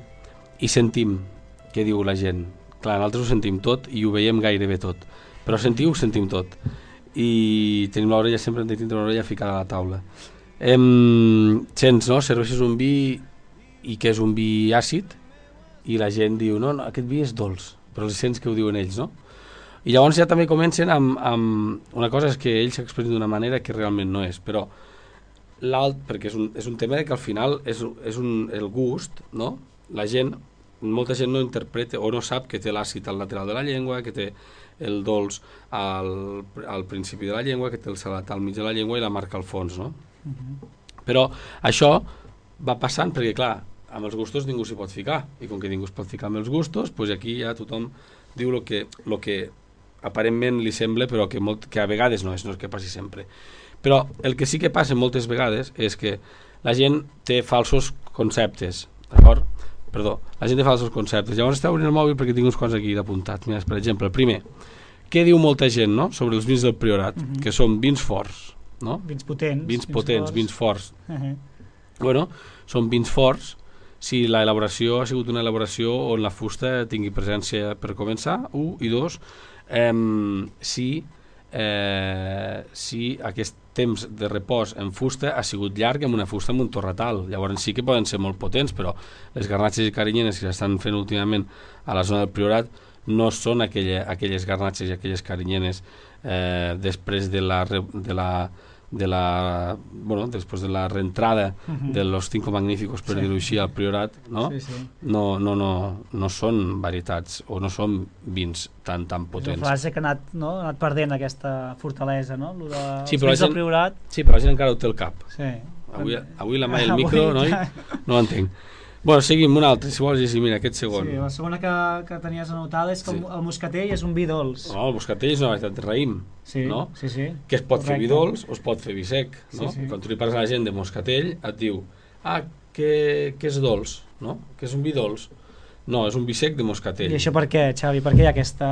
i sentim què diu la gent. Clar, nosaltres ho sentim tot i ho veiem gairebé tot, però sentiu, ho sentim tot. I tenim l'orella, sempre hem de tindre l'orella ficada a la taula. Sents, no? Serveixes un vi i que és un vi àcid i la gent diu, no, aquest vi és dolç, però els sents que ho diuen ells, no? I llavors ja també comencen amb una cosa és que ells s'expressen d'una manera que realment no és, però perquè és un tema que al final és el gust, no? Molta gent no interpreta o no sap que té l'àcid al lateral de la llengua, que té el dolç al principi de la llengua, que té el salat al mig de la llengua i la marca al fons, no? Però això va passant perquè, clar, amb els gustos ningú s'hi pot ficar, i com que ningú es pot ficar amb els gustos, doncs aquí ja tothom diu el que aparentment li sembla, però que a vegades no és que passi sempre. Però el que sí que passa moltes vegades és que la gent té falsos conceptes, d'acord? Perdó, la gent té falsos conceptes. Llavors està obrint el mòbil perquè tinc uns quants aquí d'apuntats. Mira, per exemple, el primer, què diu molta gent, no?, sobre els vins del Priorat, que són vins forts, no? Vins potents. Vins forts. Bueno, són vins forts si l'elaboració ha sigut una elaboració on la fusta tingui presència per començar, 1, i 2, si aquest temps de repòs en fusta ha sigut llarg amb una fusta amb un torratal. Llavors sí que poden ser molt potents, però les garnatxes i carinyenes que s'estan fent últimament a la zona del Priorat no són aquelles garnatxes i aquelles carinyenes després de la reentrada de los Cinco Magníficos, per dir-ho així, al Priorat, no? No són varietats o no són vins tan potents. És una frase que ha anat perdent aquesta fortalesa, no? Sí, però la gent encara ho té al cap. Avui la mà i el micro, noi, no l'entenc. Bueno, seguim un altre, si vols llegir, mira, aquest segon. Sí, la segona que tenies anotada és que el moscatell és un vi dolç. No, el moscatell és una varietat de raïm, no? Sí. Que es pot fer vi dolç o es pot fer vi sec, no? Quan tu li parles a la gent de moscatell, et diu, que és dolç, no? Que és un vi dolç. No, és un vi sec de moscatell. I això per què, Xavi? Per què hi ha aquesta...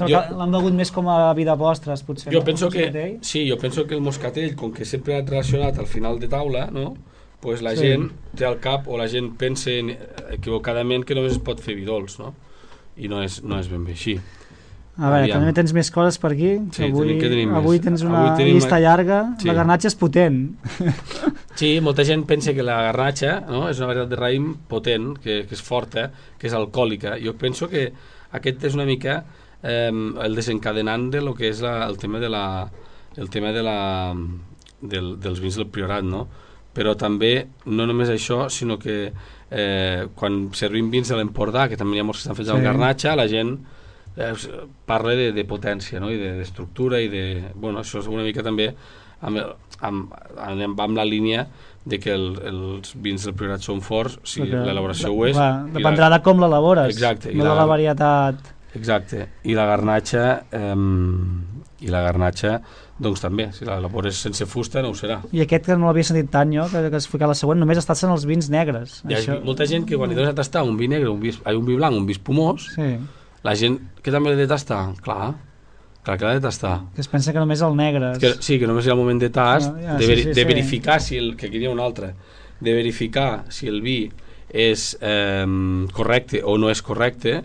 L'han begut més com a vi de postres, potser? Jo penso que el moscatell, com que sempre ha relacionat al final de taula, no?, pues la gent té al cap, o la gent pensa equivocadament que només es pot fer vi dolç, no? I no és ben bé així. A veure, també tens més coses per aquí. Sí, avui tens una llista llarga. La garnatxa és potent. Sí, molta gent pensa que la garnatxa, no?, és una varietat de raïm potent, que és forta, que és alcohòlica. Jo penso que aquest és una mica el desencadenant de lo que és el tema dels vins del Priorat, no? Però també, no només això, sinó que quan servim vins de l'Empordà, que també hi ha molts que estan fets amb garnatxa, la gent parla de potència, no?, i d'estructura, i de... Bueno, això és una mica també amb la línia de que els vins del Priorat són forts, si l'elaboració ho és... Dependrà de com l'elabores, no de la varietat... Exacte, i la garnatxa doncs també, si l'elabores sense fusta no ho serà. I aquest que no l'havia sentit tant jo, que es fica la següent, només estàs en els vins negres. Hi ha molta gent que quan li dones a tastar un vi negre, un vi blanc, un vi espumós, la gent que també l'ha de tastar, clar que l'ha de tastar. Que es pensa que només el negre... Sí, que només hi ha el moment de tast, de verificar que aquí hi ha un altre, de verificar si el vi és correcte o no és correcte.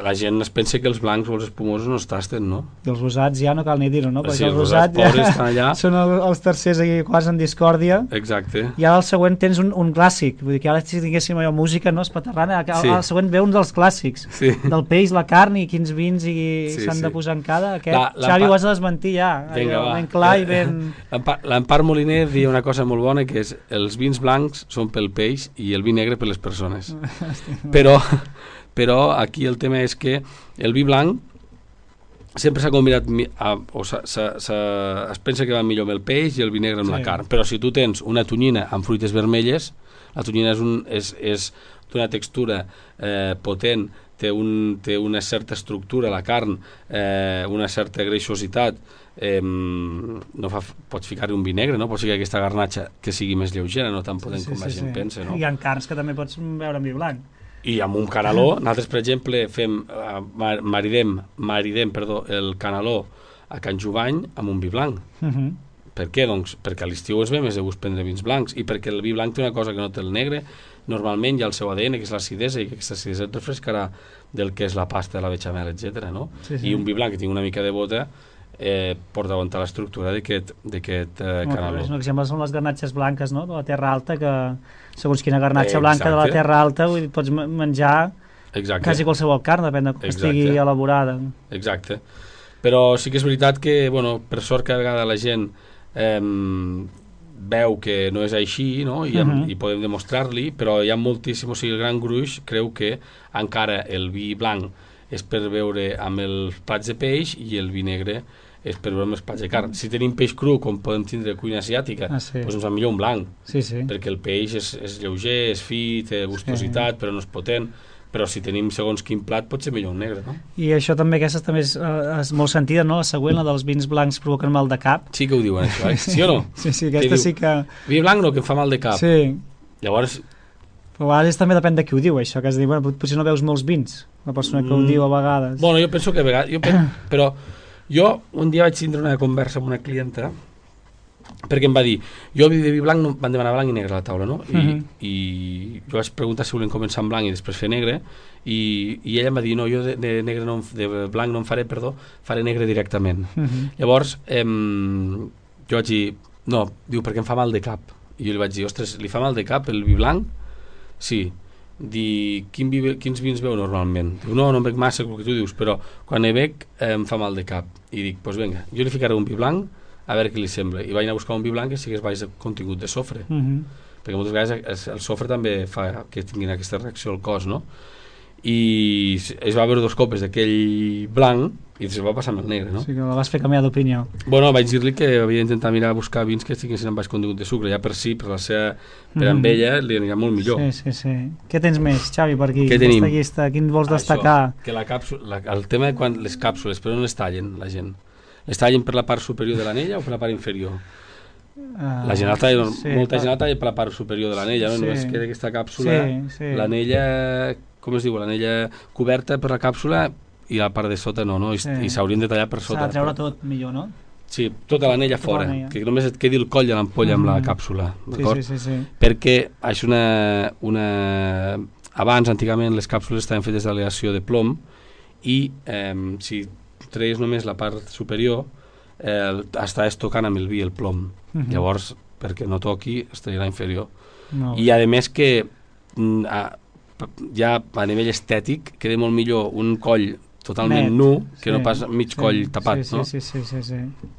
La gent es pensa que els blancs o els espumosos no es tasten, no? I els rosats ja no cal ni dir-ho, no? Perquè els rosats pobres estan allà. Són els tercers aquí quasi en discòrdia. Exacte. I ara al següent tens un clàssic, vull dir que ara si tinguéssim allò música, no, espaterrana, al següent ve un dels clàssics, del peix, la carn i quins vins s'han de posar en cada. Aquest Xavi ho has de desmentir ja, ben clar i ben... L'Empar Moliner diu una cosa molt bona, que és els vins blancs són pel peix i el vi negre per les persones. Però aquí el tema és que el vi blanc sempre s'ha combinat es pensa que va millor amb el peix i el vi negre amb la carn, però si tu tens una tonyina amb fruites vermelles, la tonyina és d'una textura potent, té una certa estructura, la carn, una certa greixositat, pots ficar-hi un vi negre, no? Pots ficar aquesta garnatxa que sigui més lleugera, no tan potent com la gent pensa, no? Hi ha carns que també pots veure en vi blanc. I amb un canaló, nosaltres per exemple maridem el canaló a Can Jubany amb un vi blanc. Per què? Doncs perquè a l'estiu es ve més de gust prendre vins blancs i perquè el vi blanc té una cosa que no té el negre, normalment hi ha el seu ADN, que és l'acidesa, i aquesta acidesa et refrescarà del que és la pasta, la bechamel, etc. No? I un vi blanc que tingui una mica de bota porta a aguantar l'estructura d'aquest canaló. Un exemple són les garnatxes blanques, no?, de la Terra Alta, que segons quina garnatxa blanca de la Terra Alta pots menjar quasi qualsevol carn, depèn de com estigui elaborada. Exacte. Però sí que és veritat que, per sort, cada vegada la gent veu que no és així, no? I podem demostrar-li, però hi ha moltíssim, o sigui, el gran gruix creu que encara el vi blanc és per beure amb els plats de peix i el vi negre és per veure amb els plats de carn. Si tenim peix cru, com podem tindre cuina asiàtica, doncs ens va millor un blanc, perquè el peix és lleuger, és fi, té gustositat, però no és potent. Però si tenim segons quin plat pot ser millor un negre, no? I això també, aquesta també és molt sentida, no? La següent, la dels vins blancs provoquen mal de cap. Sí que ho diuen, això, sí o no? Sí, aquesta sí que... Vi blanc no, que em fa mal de cap. Sí. Llavors... Però a vegades també depèn de qui ho diu, això, que has de dir, potser no veus molts vins, la persona que ho diu a vegades. Bueno, jo penso que a vegades... Però jo un dia vaig tindre una conversa amb una clienta perquè em va dir, jo de vi blanc van demanar blanc i negre a la taula, no? I jo vaig preguntar si volien començar amb blanc i després fer negre, i ella em va dir, no, jo de blanc no en faré, faré negre directament. Llavors jo vaig dir, no, diu, perquè em fa mal de cap. I jo li vaig dir, ostres, li fa mal de cap el vi blanc? Sí. Quins vins veu normalment? Diu, no em bec massa, el que tu dius, però quan ne bec em fa mal de cap. I dic, doncs vinga, jo li ficaré un vi blanc a veure què li sembla, i vaig anar a buscar un vi blanc que sigués baix de contingut de sofre, perquè moltes vegades el sofre també fa que tinguin aquesta reacció al cos, no? I es va beure 2 copes d'aquell blanc i se'l va passar amb el negre, no? Sí, que la vas fer canviar d'opinió. Bueno, vaig dir-li que havia d'intentar mirar a buscar vins que tinguessin amb baix contingut de sucre, ja per si, per amb ella li anirà molt millor. Sí. Què tens més, Xavi, per aquí? Què tenim? Quin vols destacar? Això, que la càpsula, el tema de quan les càpsules, però no les tallen la gent. Les tallen per la part superior de l'anella o per la part inferior? La gent molta gent la talla per la part superior de l'anella, no? Només queda aquesta càpsula, l'anella, com es diu, l'anella coberta per la càpsula i la part de sota no? I s'haurien de tallar per sota. S'ha de treure tot millor, no? Sí, tota l'anella fora, que només et quedi el coll de l'ampolla amb la càpsula, d'acord? Sí. Perquè és abans, antigament, les càpsules estaven fetes d'aleació de plom i si treies només la part superior estaves tocant amb el vi el plom. Llavors, perquè no toqui, es traurà inferior. I a més que ja a nivell estètic queda molt millor un coll totalment nu que no pas mig coll tapat, no? Sí,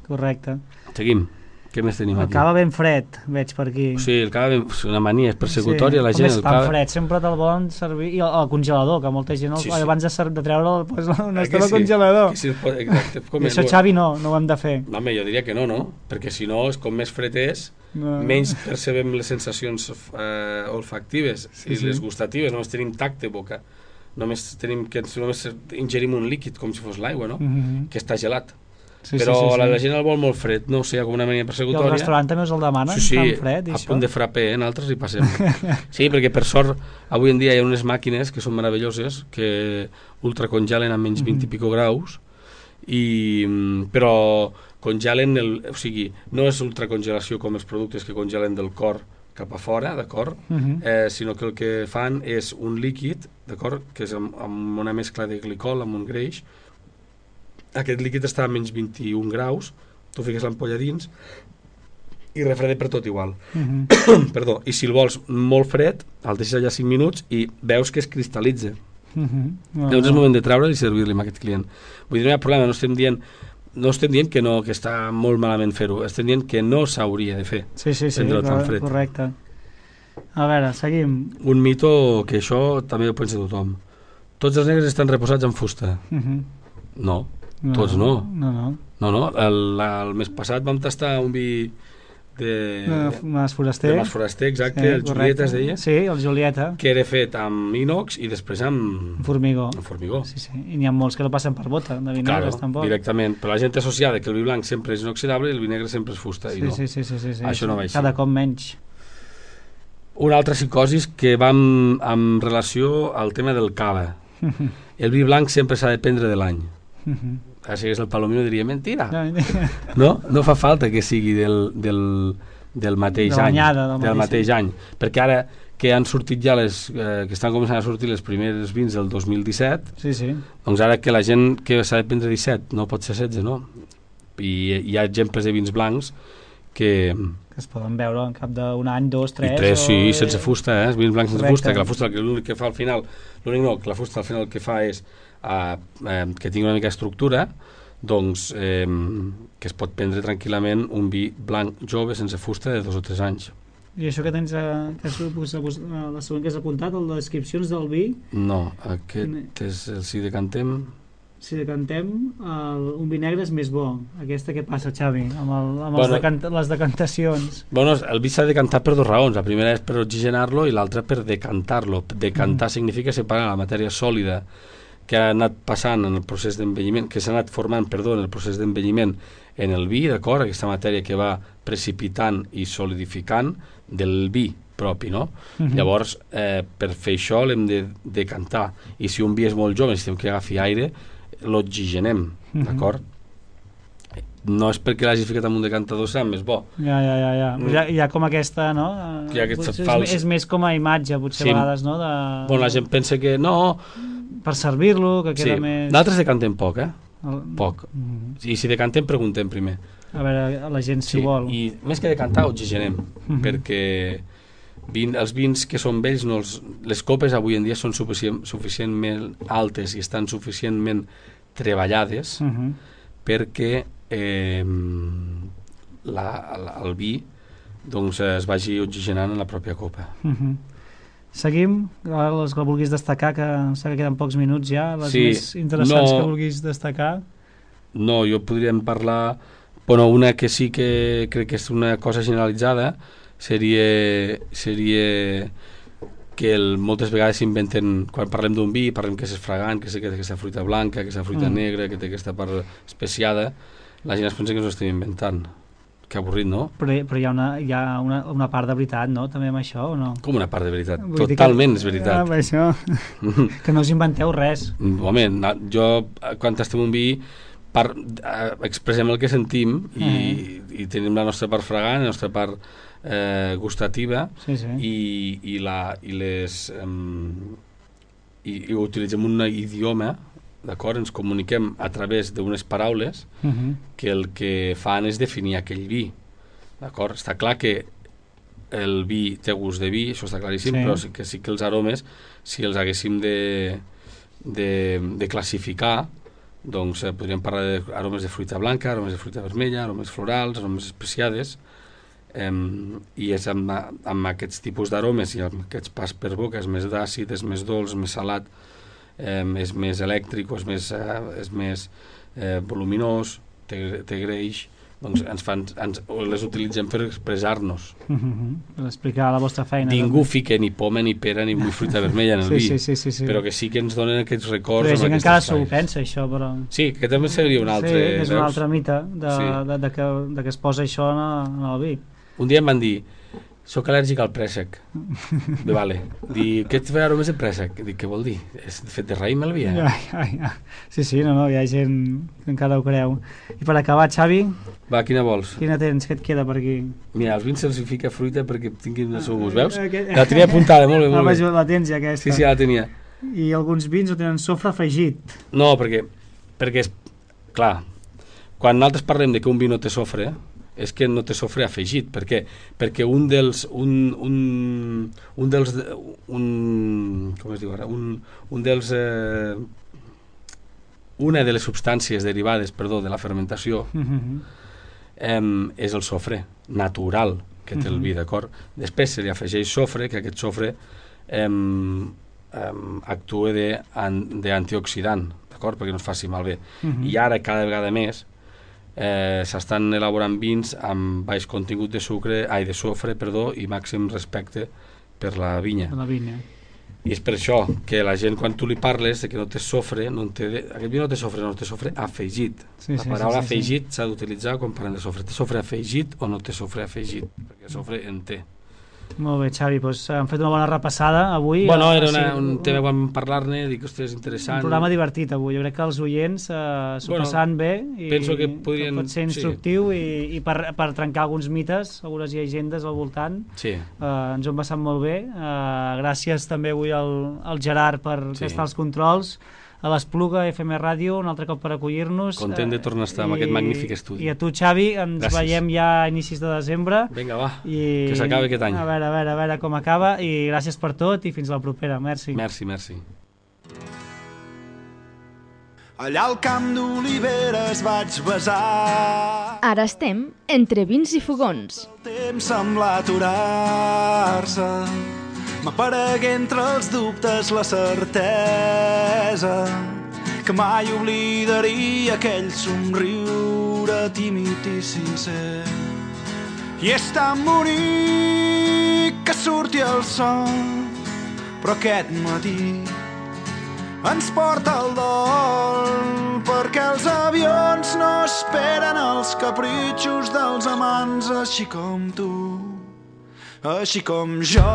correcte. Seguim. Què més tenim aquí? El cava ben fred, veig per aquí. Sí, el cava és una mania, és persecutòria la gent. Com és tan fred, sempre te'l volen servir, i el congelador, que molta gent abans de treure'l no està al congelador. Exacte. I això, Xavi, no ho hem de fer. No, home, jo diria que no, perquè si no, com més fred és, menys percebem les sensacions olfactives i les gustatives, només tenim tacte boca, només ingerim un líquid com si fos l'aigua, no? Que està gelat. Però la gent el vol molt fred, no ho sé, com una mania persecutòria. I el restaurant també us el demanen, tan fred? Sí, a punt de frappé, altres hi passem. Sí, perquè per sort avui en dia hi ha unes màquines que són meravelloses, que ultracongelen a menys 20 i pico graus, però congelen, o sigui, no és ultracongelació com els productes que congelen del cor cap a fora, d'acord? Sinó que el que fan és un líquid, d'acord? Que és amb una mescla de glicol, amb un greix. Aquest líquid està a menys 21 graus, tu fiques l'ampolla dins i refreda per tot igual. Perdó, i si el vols molt fred, el deixes allà 5 minuts i veus que es cristal·litza. Llavors és el moment de treure'l i servir-li a aquest client. Vull dir, no hi ha problema, no estem dient que no, que està molt malament fer-ho, estem dient que no s'hauria de fer. Sí, correcte. A veure, seguim. Un mito que això també ho pensa tothom. Tots els negres estan reposats en fusta. No. Tots no. No. El mes passat vam tastar un vi de Mas Foraster. Exacte, el Julieta es deia. Sí, el Julieta. Que era fet amb inox i després amb formigó. Sí. I n'hi ha molts que no passen per bota, de vi negres tampoc. Directament. Però la gent associada que el vi blanc sempre és inoxidable i el vi negre sempre és fusta. Sí. Això no va així. Cada cop menys. Una altra psicosis que va amb relació al tema del cava. El vi blanc sempre s'ha de prendre de l'any. si hagués el Palomino diria mentira. No fa falta que sigui del mateix any. Del mateix any. Perquè ara que han sortit ja que estan començant a sortir les primeres vins del 2017, doncs ara que la gent que s'ha de prendre 17 no pot ser 16, no? I hi ha exemples de vins blancs que es poden veure en cap d'un any, 2, 3... I 3, sí, sense fusta, vins blancs sense fusta, que la fusta l'únic que fa al final, que la fusta al final el que fa és que tingui una mica d'estructura, doncs que es pot prendre tranquil·lament un vi blanc jove sense fusta de 2 o 3 anys. I això que tens, la següent que has apuntat, el de descripcions del vi? No, aquest és el Si decantem... Si decantem, un vi negre és més bo. Aquesta què passa, Xavi, amb les decantacions? Bueno, el vi s'ha de decantar per 2 raons. La primera és per oxigenar-lo i l'altra per decantar-lo. Decantar significa separar la matèria sòlida que ha anat passant en el procés d'envelliment, que s'ha anat formant, en el procés d'envelliment en el vi, d'acord? Aquesta matèria que va precipitant i solidificant del vi propi, no? Llavors, per fer això l'hem de decantar. I si un vi és molt jove, necessitem que agafi aire, l'oxigenem, d'acord? No és perquè l'hagis ficat en un decantador serà més bo. Ja. Hi ha com aquesta, no? És més com a imatge, potser a vegades, no? Bueno, la gent pensa que no... Per servir-lo, que queda més... Nosaltres decantem poc, Poc. I si decantem, preguntem primer. A veure, la gent si vol. I més que decantar, oxigenem, perquè els vins que són vells, les copes avui en dia són suficientment altes i estan suficientment treballades perquè el vi doncs, es vagi oxigenant en la pròpia copa. Seguim, les que vulguis destacar, que sé que queden pocs minuts ja, les més interessants que vulguis destacar. No, jo podríem parlar, una que sí que crec que és una cosa generalitzada, seria que moltes vegades s'inventen, quan parlem d'un vi, parlem que és fragant, que té aquesta fruita blanca, aquesta fruita negra, que té aquesta part especiada, la gent es pensa que ens ho estem inventant. Que avorrit, no? Però hi ha una part de veritat, no? També amb això, o no? Com una part de veritat? Totalment és veritat. Això, que no us inventeu res. Home, jo, quan tastem un vi, expressem el que sentim i tenim la nostra part fragant, la nostra part gustativa i ho utilitzem un idioma, d'acord? Ens comuniquem a través d'unes paraules que el que fan és definir aquell vi, d'acord? Està clar que el vi té gust de vi, això està claríssim, però sí que els aromes, si els haguéssim de classificar, doncs podríem parlar d'aromes de fruita blanca, aromes de fruita vermella, aromes florals, aromes especiades, i és amb aquests tipus d'aromes i amb aquests pas per boca, és més d'àcid, és més dolç, més salat, és més elèctric o és més voluminós, té greix, doncs les utilitzem per expressar-nos. Per explicar la vostra feina. Ningú fica ni poma, ni pera, ni fruita vermella en el vi, però que sí que ens donen aquests records. Però hi ha gent que encara s'ho pensa, això, però... Sí, que també seria un altre... Sí, és un altre mite de que es posa això en el vi. Un dia em van dir, soc al·lèrgic al préssec. Vale. Dic, què et fa aromes de préssec? Dic, què vol dir? És fet de raïm el vi, Sí, no, hi ha gent que encara ho creu. I per acabar, Xavi... Va, quina vols? Quina tens? Què et queda per aquí? Mira, als vins se'ls fica fruita perquè tinguin el seu gust, veus? La tenia apuntada, molt bé. La tens ja, aquesta. Sí, la tenia. I alguns vins ho tenen sofre afegit. No, perquè és... Clar, quan nosaltres parlem de que un vi no té sofre, és que no té sofre afegit. Per què? Perquè com es diu ara? Una de les substàncies derivades, de la fermentació és el sofre natural que té el vi, d'acord? Després se li afegeix sofre, que aquest sofre actua d'antioxidant, d'acord? Perquè no es faci malbé. I ara cada vegada més s'estan elaborant vins amb baix contingut de sofre i màxim respecte per la vinya. I és per això que la gent, quan tu li parles de que no té sofre, aquest vi no té sofre afegit. La paraula afegit s'ha d'utilitzar quan parlem de sofre. Té sofre afegit o no té sofre afegit? Perquè sofre en té. Molt bé, Xavi, doncs hem fet una bona repassada avui. Bueno, era un tema que vam parlar-ne, dic, ostres, interessant. Un programa divertit avui, jo crec que els oients s'ho passaran bé i penso que podrien, pot ser instructiu i per trencar alguns mites, algunes llegendes al voltant. Sí. Ens ho hem passat molt bé. Gràcies també avui al Gerard per estar als controls, a l'Espluga FM Ràdio, un altre cop per acollir-nos. Content de tornar a estar en aquest magnífic estudi. I a tu, Xavi, ens veiem ja a inicis de desembre. Vinga, va, que s'acabi aquest any. A veure com acaba, i gràcies per tot i fins la propera. Merci. Merci. Allà al camp d'oliveres vaig besar. Ara estem entre vins i fogons. El temps sembla aturar-se. M'aparegué entre els dubtes la certesa que mai oblidaria aquell somriure tímid i sincer. I és tan bonic que surti el sol, però aquest matí ens porta el dol, perquè els avions no esperen els capritxos dels amants, així com tu, així com jo.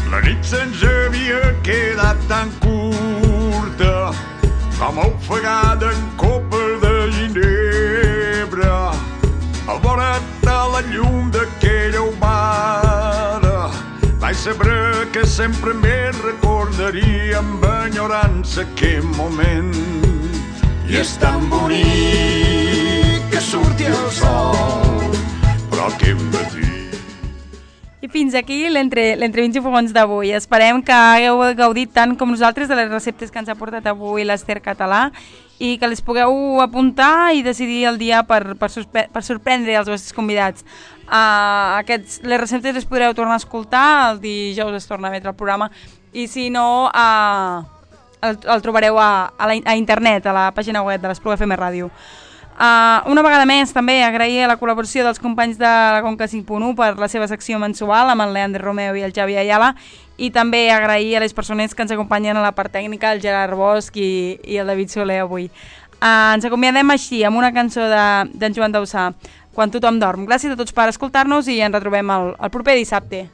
La nit se'ns havia quedat tan curta com ofegada en copa de ginebra. Al vora de la llum d'aquella humada vaig saber que sempre me recordaria amb enyorança aquell moment. I és tan bonic que surti el sol, però què hem de dir? I fins aquí l'Entre Vins i Fogons d'avui. Esperem que hagueu gaudit tant com nosaltres de les receptes que ens ha portat avui l'Ester Català i que les pugueu apuntar i decidir el dia per sorprendre els vostres convidats. Les receptes les podreu tornar a escoltar, el dijous es torna a emetre el programa i si no el trobareu a internet, a la pàgina web de l'Espluga FM Ràdio. Una vegada més també agrair la col·laboració dels companys de la Conca 5.1 per la seva secció mensual amb el Leandre Romeo i el Xavi Ayala, i també agrair a les persones que ens acompanyen a la part tècnica, el Gerard Bosch i el David Soler avui. Ens acomiadem així amb una cançó d'en Joan Dausà, Quan tothom dorm. Gràcies a tots per escoltar-nos i ens retrobem el proper dissabte.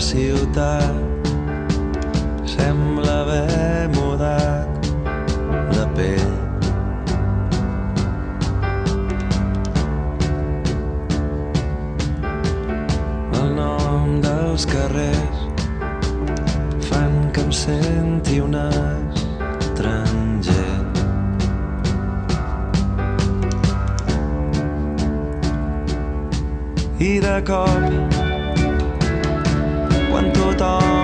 ciutat sembla haver mudat de pell. El nom dels carrers fan que em senti un estranger. I de cop, quan tothom